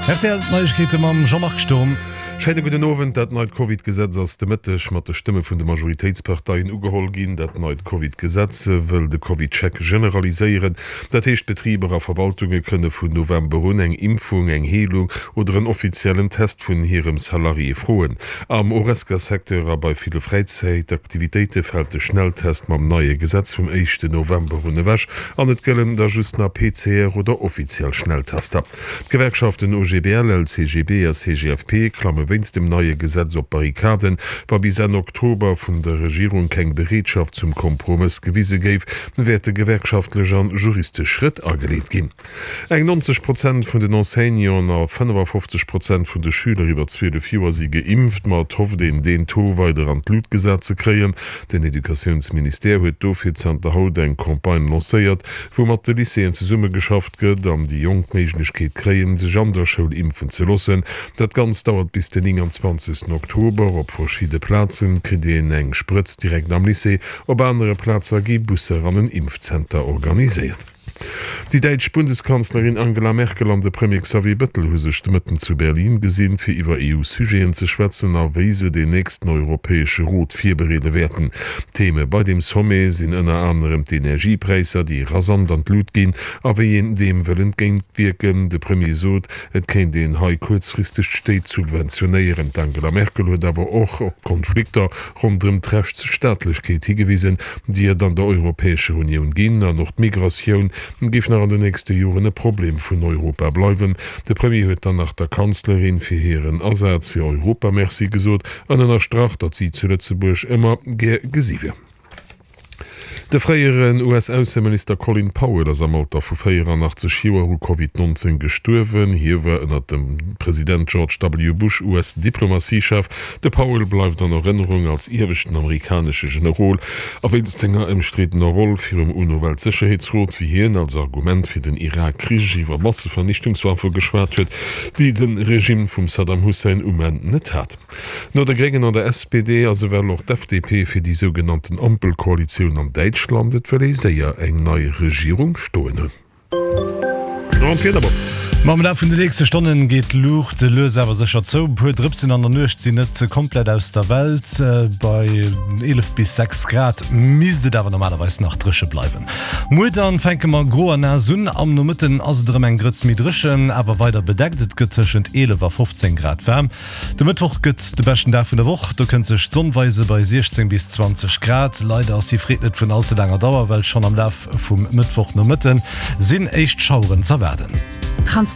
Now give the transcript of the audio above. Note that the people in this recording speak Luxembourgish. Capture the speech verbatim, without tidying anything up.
Rtl Neiegkeete mam Jean-Marc Sturm. Schéine gudden Owend. Dat neit Covid-Gesetz ass de Mëtteg mat de Stëmme vun de Majoritéitsparteien ugeholl ginn. Dat neit Covid-Gesetz wëll de Covid-Check generaliséieren. Dat heescht, Betriber a Verwaltunge kënne vun November un eng Impfung, eng Heelung oder en offiziellen Test vun hirem Salarié froen. Am Horesca-Secteur a bei ville Fräizäitaktivitéite fält de Schnelltest mam neie Gesetz vum éischten November un ewech an et gëllen da just nach P C R oder offiziell Schnelltester. D'Gewerkschaften O G B L, L C G B a C G F P klamme wéinst dem neie Gesetz op d'Barrikaden. Wa bis Enn Oktober vun der Regierung keng Bereetschaft zum Kompromëss gewise géif, wäerte gewerkschaftlech an juristesch Schrëtt ageleet ginn. Eng neunzeg Prozent vun den Enseignanten a fënnefafofzeg Prozent vun de Schüler iwwer zwielef Joer si geimpft, ma et hofft een, deen Taux weider an d'Lut gesat ze kréien. Den Educatiounsministère huet dofir zanter haut eng Campagne lancéiert, wou mat de Lycéeën zesummegeschafft gëtt an déi Jonk d'Méiglechkeet kréien, sech an der Schoul impfen ze loossen. Dat Ganzt dauert bis den nénganzwanzegsten Oktober. Op verschidde Plazen kritt een eng Sprëtz direkt am Lycée, op anere Plaze gi Busser an en Impfzenter organiséiert. Déi däitsch Bundeskanzlerin Angela Merkel an de Premier Xavier Bettel hu sech de Mëtten zu Berlin gesinn, fir iwwer E U-Sujeten ze schwätzen a wéi se den nächsten Europäesche Rot virbereede wäerten. Theme bei deem Sommet sinn ënner anerem d'Energiepräisser, déi rasant an d'Lut ginn, a wéi een deem wëll entgéintwierken. De Premier sot, et kéint een hei kuerzfristeg d'Stéit subventionéieren. D'Angela Merkel huet awer och op d'Konflikter ronderëm d'Rechtsstaatlechkeet higewisen, déi et an der Europäescher Unioun ginn, an och d'Migratioun géif nach an den nächste Joren e Problem vun Europa bleiwen. De Premier huet dann nach der Kanzlerin fir hiren Asaz fir Europa Merci gesot an ënnerstrach, datt si zu Lëtzebuerg ëmmer gär gesi wier. De fréieren U S-Ausseminister Colin Powell ass am Alter vu véieranachtzeg Joer u Covid neunzéng gestuerwen. Hie war ënnert dem President George W. Bush U S-Diplomatiechef. De Powell bleift an Erënnerung als ieweschten amerikanesche Generol a wéinst senger ëmstriddener Roll virum UNO-Weltsécherheetsrot, wéi hien als Argument fir den Irak-Krich iwwer Massevernichtungswaffe geschwat huet, déi de Regime vum Saddam Hussein um Enn net hat. No de Gréngen an der S P D ass ewell och d'F D P fir déi sougenannten Ampelkoalitioun an Däitschland. Et wëll ee séier eng nei Regierung stoen hunn. An d'Wieder, Bob. Mam Laf vun de nächste Stonnen geet d'Luucht lues awer sécher zou. E puer Drëpsen an der Nuecht sinn net komplett aus der Welt. Bei eelef bis sechs Grad misst et awer normalerweis nach dréche bleiwen. Muer dann fänke mer gro a naass un. Am Nomëtten ass et erëm eng Grëtz méi dréchen, awer weider bedeckt. Et gëtt tëschent eelef a fofzéng Grad waarm. De Mëttwoch gëtt de beschten Dag vun der Woch. Do kënnt sech d'Sonn weise bei siechzéng bis zwanzeg Grad. Leider ass déi Freed net vun all ze laanger Dauer, well schonn am Laf vum Mëttwochnomëtte sinn éischt Schaueren z'erwaarden. Transparent.